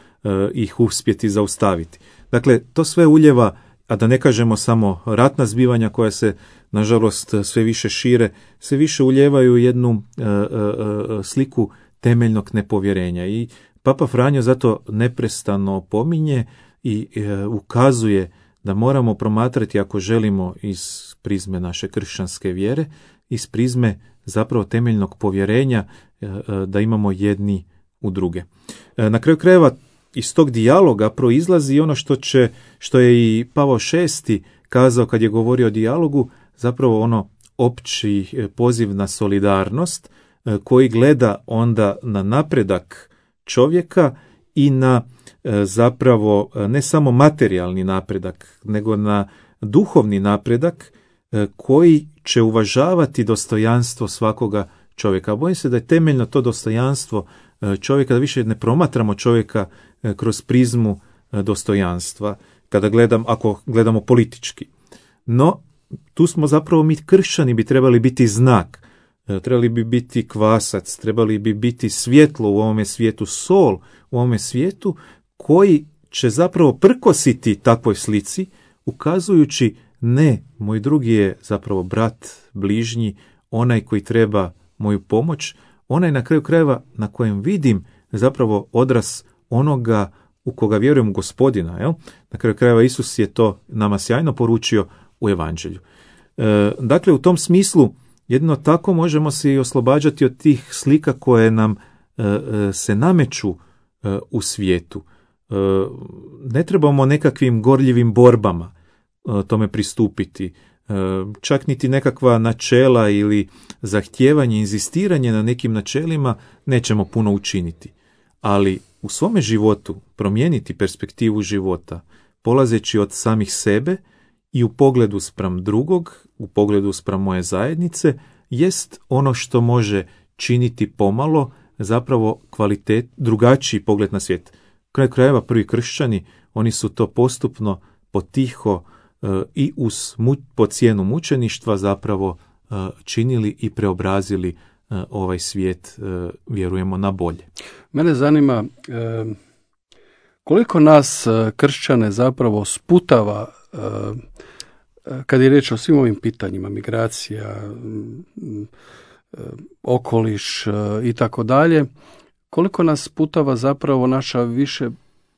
[SPEAKER 3] ih uspjeti zaustaviti. Dakle, to sve uljeva, a da ne kažemo samo ratna zbivanja koja se nažalost sve više šire, sve više uljevaju jednu sliku temeljnog nepovjerenja. I Papa Franjo zato neprestano opominje i e, ukazuje da moramo promatrati, ako želimo iz prizme naše kršćanske vjere, iz prizme zapravo temeljnog povjerenja da imamo jedni u druge. Na kraju krajeva iz tog dijaloga proizlazi ono što će, što je i Pavao šesti kazao kad je govorio o dijalogu, zapravo ono opći poziv na solidarnost koji gleda onda na napredak čovjeka i na zapravo ne samo materijalni napredak, nego na duhovni napredak koji će uvažavati dostojanstvo svakoga čovjeka. Bojim se da je temeljno to dostojanstvo čovjeka, da više ne promatramo čovjeka kroz prizmu dostojanstva, kada gledam, ako gledamo politički. No, tu smo zapravo mi kršćani bi trebali biti znak, trebali bi biti kvasac, trebali bi biti svjetlo u ovome svijetu, sol u ovome svijetu, koji će zapravo prkositi takvoj slici, ukazujući ne, moj drugi je zapravo brat, bližnji, onaj koji treba moju pomoć, onaj na kraju krajeva na kojem vidim zapravo odraz onoga u koga vjerujem u Gospodina. Jel? Na kraju krajeva Isus je to nama sjajno poručio u Evanđelju. E, dakle, u tom smislu jedino tako možemo se i oslobađati od tih slika koje nam e, e, se nameću e, u svijetu. E, ne trebamo nekakvim gorljivim borbama e, tome pristupiti. E, čak niti nekakva načela ili zahtijevanje, inzistiranje na nekim načelima nećemo puno učiniti. Ali u svome životu promijeniti perspektivu života, polazeći od samih sebe i u pogledu spram drugog, u pogledu spram moje zajednice, jest ono što može činiti pomalo zapravo kvalitet, drugačiji pogled na svijet. Kraj krajeva prvi kršćani, oni su to postupno, potiho e, i uz mu, po cijenu mučeništva zapravo e, činili i preobrazili e, ovaj svijet, e, vjerujemo, na bolje.
[SPEAKER 2] Mene zanima e, koliko nas e, kršćane zapravo sputava e, kad je riječ o svim ovim pitanjima, migracija, okoliš i tako dalje, koliko nas sputava zapravo naša više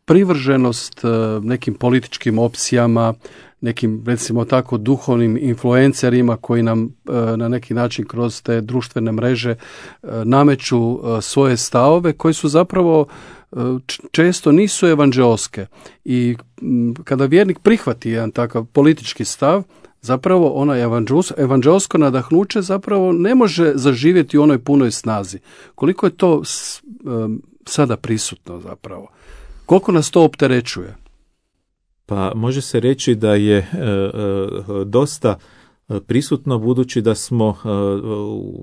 [SPEAKER 2] privrženost nekim političkim opcijama, nekim, recimo tako, duhovnim influencerima koji nam na neki način kroz te društvene mreže nameću svoje stavove koji su zapravo često nisu evanđeoske. I kada vjernik prihvati jedan takav politički stav, zapravo ono evanđeosko nadahnuće zapravo ne može zaživjeti u onoj punoj snazi. Koliko je to sada prisutno zapravo? Koliko nas to opterećuje?
[SPEAKER 3] Pa može se reći da je e, e, dosta prisutno, budući da smo e,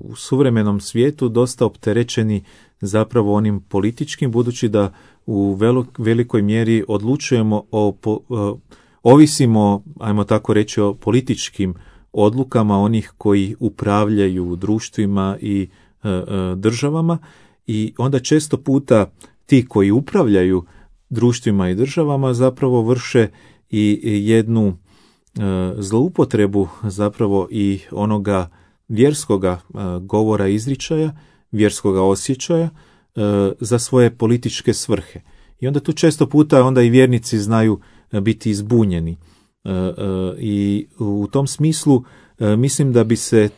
[SPEAKER 3] u suvremenom svijetu dosta opterećeni zapravo onim političkim, budući da u velo, velikoj mjeri odlučujemo o, po, o, ovisimo, ajmo tako reći, o političkim odlukama onih koji upravljaju društvima i e, e, državama, i onda često puta ti koji upravljaju društvima i državama zapravo vrše i jednu e, zloupotrebu zapravo i onoga vjerskoga e, govora, izričaja, vjerskoga osjećaja e, za svoje političke svrhe. I onda tu često puta onda i vjernici znaju biti izbunjeni. E, e, I u tom smislu e, mislim da bi se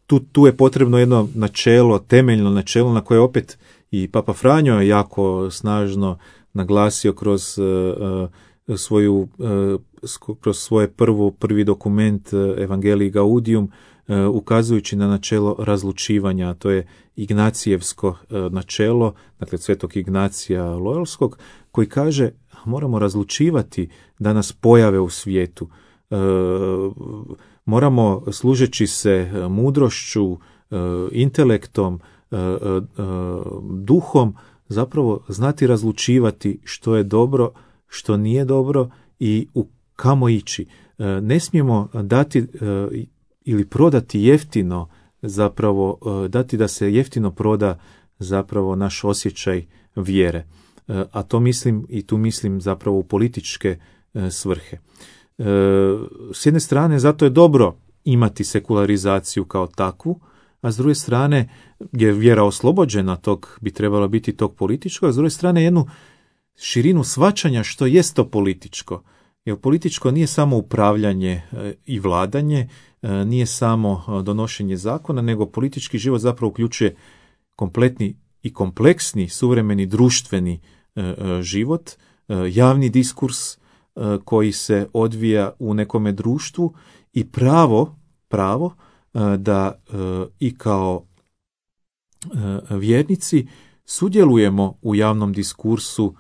[SPEAKER 3] tu, tu je potrebno jedno načelo, temeljno načelo na koje opet i Papa Franjo je jako snažno naglasio kroz uh, svoju uh, kroz svoje prvo, prvi dokument uh, Evangelii Gaudium, uh, ukazujući na načelo razlučivanja. To je Ignacijevsko uh, načelo, dakle svetog Ignacija Loyolskog, koji kaže moramo razlučivati da nas pojave u svijetu. Uh, moramo, služeći se mudrošću, uh, intelektom, uh, uh, duhom, zapravo znati razlučivati što je dobro, što nije dobro i u kamo ići. Ne smijemo dati ili prodati jeftino, zapravo dati da se jeftino proda zapravo naš osjećaj vjere. A to mislim, i tu mislim zapravo u političke svrhe. S jedne strane, zato je dobro imati sekularizaciju kao takvu, a s druge strane je vjera oslobođena tog, bi trebala biti tog političkog, a s druge strane jednu širinu shvaćanja što jest to političko. Jer političko nije samo upravljanje i vladanje, nije samo donošenje zakona, nego politički život zapravo uključuje kompletni i kompleksni suvremeni društveni život, javni diskurs koji se odvija u nekome društvu i pravo, pravo da i kao vjernici sudjelujemo u javnom diskursu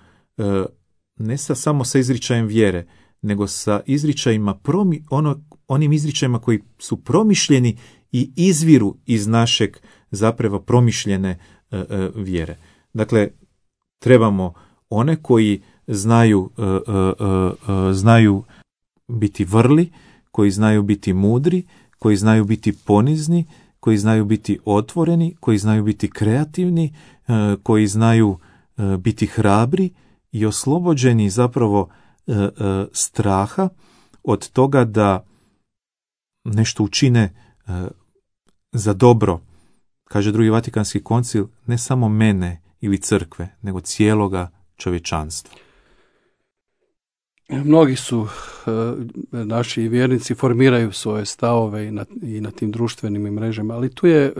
[SPEAKER 3] ne sa, samo sa izričajem vjere, nego sa izričajima promi, ono, onim izričajima koji su promišljeni i izviru iz našeg zapravo promišljene e, e, vjere. Dakle, trebamo one koji znaju, e, e, e, znaju biti vrli, koji znaju biti mudri, koji znaju biti ponizni, koji znaju biti otvoreni, koji znaju biti kreativni, e, koji znaju e, biti hrabri i oslobođeni zapravo e, e, straha od toga da nešto učine e, za dobro, kaže drugi Vatikanski koncil, ne samo mene ili crkve, nego cijeloga čovječanstva.
[SPEAKER 2] Mnogi su e, naši vjernici formiraju svoje stavove i na, i na tim društvenim mrežama, ali tu je, e,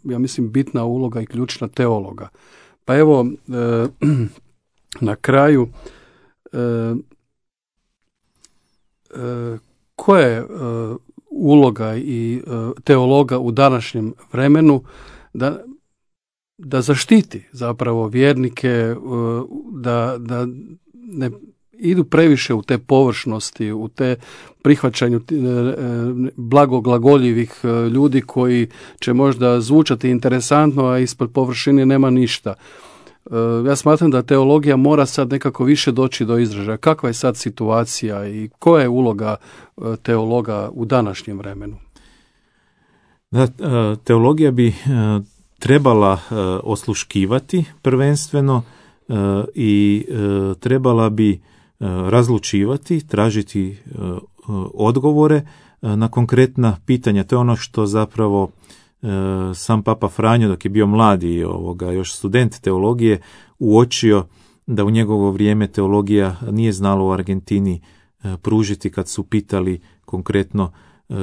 [SPEAKER 2] ja mislim, bitna uloga i ključna teologa. Pa evo, e, na kraju, e, e, koja je e, uloga i e, teologa u današnjem vremenu da, da zaštiti zapravo vjernike, e, da, da ne idu previše u te površnosti, u te prihvaćanju blagoglagoljivih ljudi koji će možda zvučati interesantno, a ispod površine nema ništa. Ja smatram da teologija mora sad nekako više doći do izražaja. Kakva je sad situacija i koja je uloga teologa u današnjem vremenu?
[SPEAKER 3] Da, teologija bi trebala osluškivati prvenstveno i trebala bi razlučivati, tražiti odgovore na konkretna pitanja. To je ono što zapravo sam Papa Franjo, dok je bio mladi, ovoga, još student teologije, uočio da u njegovo vrijeme teologija nije znala u Argentini pružiti kad su pitali konkretno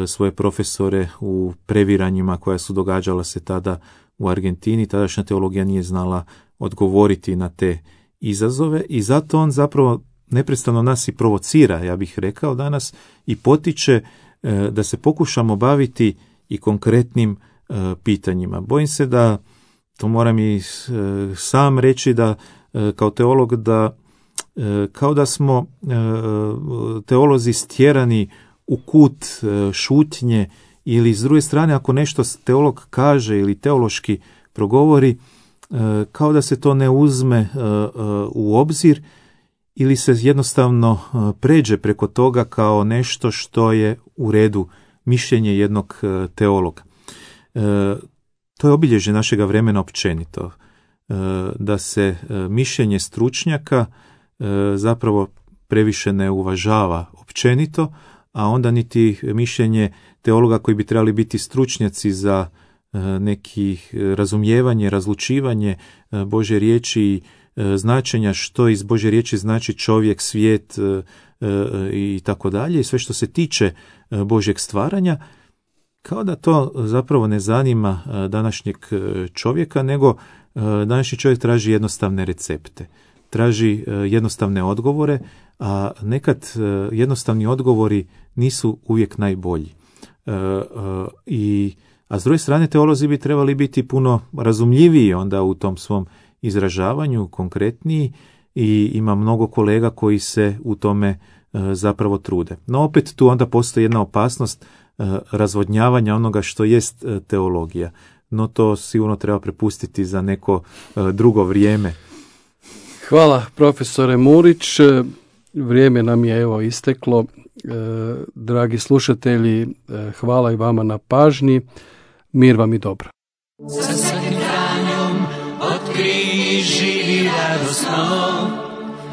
[SPEAKER 3] svoje profesore u previranjima koja su događala se tada u Argentini. Tadašnja teologija nije znala odgovoriti na te izazove i zato on zapravo neprestano nas i provocira, ja bih rekao danas, i potiče e, da se pokušamo baviti i konkretnim e, pitanjima. Bojim se da, to moram i e, sam reći da e, kao teolog da e, kao da smo e, teolozi stjerani u kut e, šutnje ili s druge strane ako nešto teolog kaže ili teološki progovori, e, kao da se to ne uzme e, e, u obzir ili se jednostavno pređe preko toga kao nešto što je u redu mišljenje jednog teologa. E, to je obilježje našega vremena općenito, e, da se mišljenje stručnjaka e, zapravo previše ne uvažava općenito, a onda niti mišljenje teologa koji bi trebali biti stručnjaci za e, neki razumijevanje, razlučivanje e, Božje riječi i značenja što iz Božje riječi znači čovjek, svijet e, e, i tako dalje i sve što se tiče Božjeg stvaranja, kao da to zapravo ne zanima današnjeg čovjeka, nego današnji čovjek traži jednostavne recepte, traži jednostavne odgovore, a nekad jednostavni odgovori nisu uvijek najbolji. E, e, i, a s druge strane teolozi bi trebali biti puno razumljiviji onda u tom svom izražavanju, konkretniji, i ima mnogo kolega koji se u tome e, zapravo trude. No opet tu onda postoji jedna opasnost e, razvodnjavanja onoga što jest e, teologija. No to sigurno treba prepustiti za neko e, drugo vrijeme.
[SPEAKER 2] Hvala profesore Murić. Vrijeme nam je evo isteklo. E, dragi slušatelji, e, hvala i vama na pažnji. Mir vam i dobro.
[SPEAKER 4] Sa svakim hranjom otkri živi radosno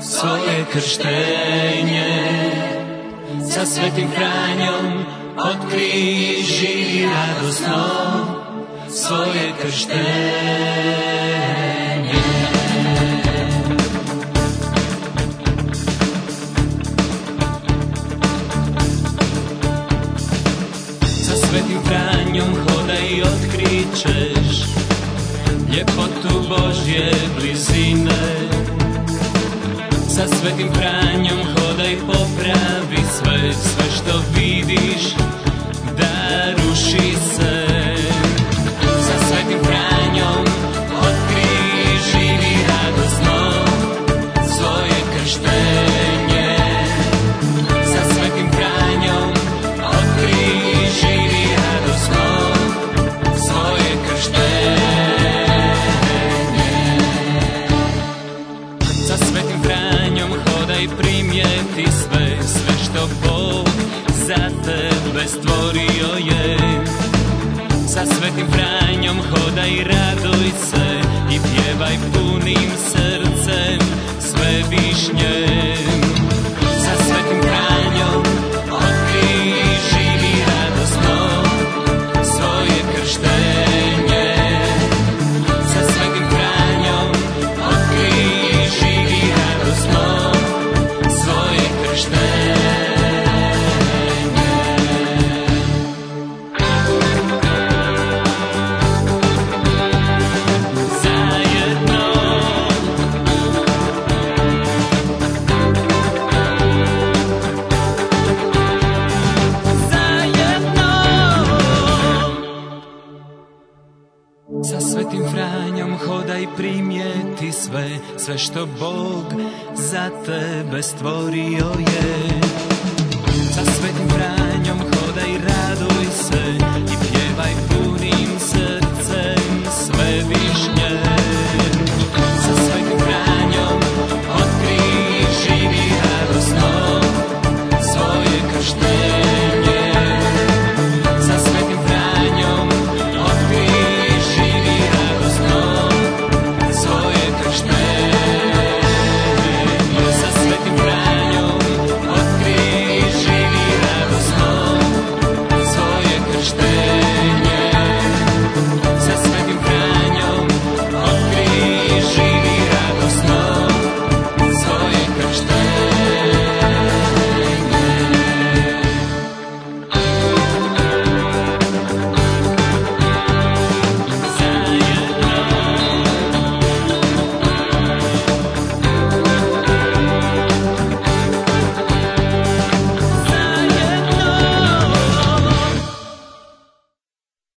[SPEAKER 4] svoje krštenje. Sa svetim hranjom otkri živi radosno svoje krštenje. Sa Svetim Franjom hodaj, popravi sve, sve što vidiš da ruši se. Sa Svetim Franjom otkrij, živi radosno svoje krštenje. Sa Svetim Franjom otkrij, živi radosno svoje krštenje. Sa Svetim Franjom hodaj, primijeti sve, sve što Bog za tebe stvorio je. Sa Svetim Franjom hodaj, raduj se i pjevaj punim srcem sve višnjem. Sa Svetim Franjom otkrij, živi radosno svoje krštenje. Sa Svetim Franjom otkrij, živi radosno svoje krštenje. Sa Svetim Franjom hodaj, primijeti sve, sve što Bog za tebe stvorio je. Sa Svetim Franjom hodaj,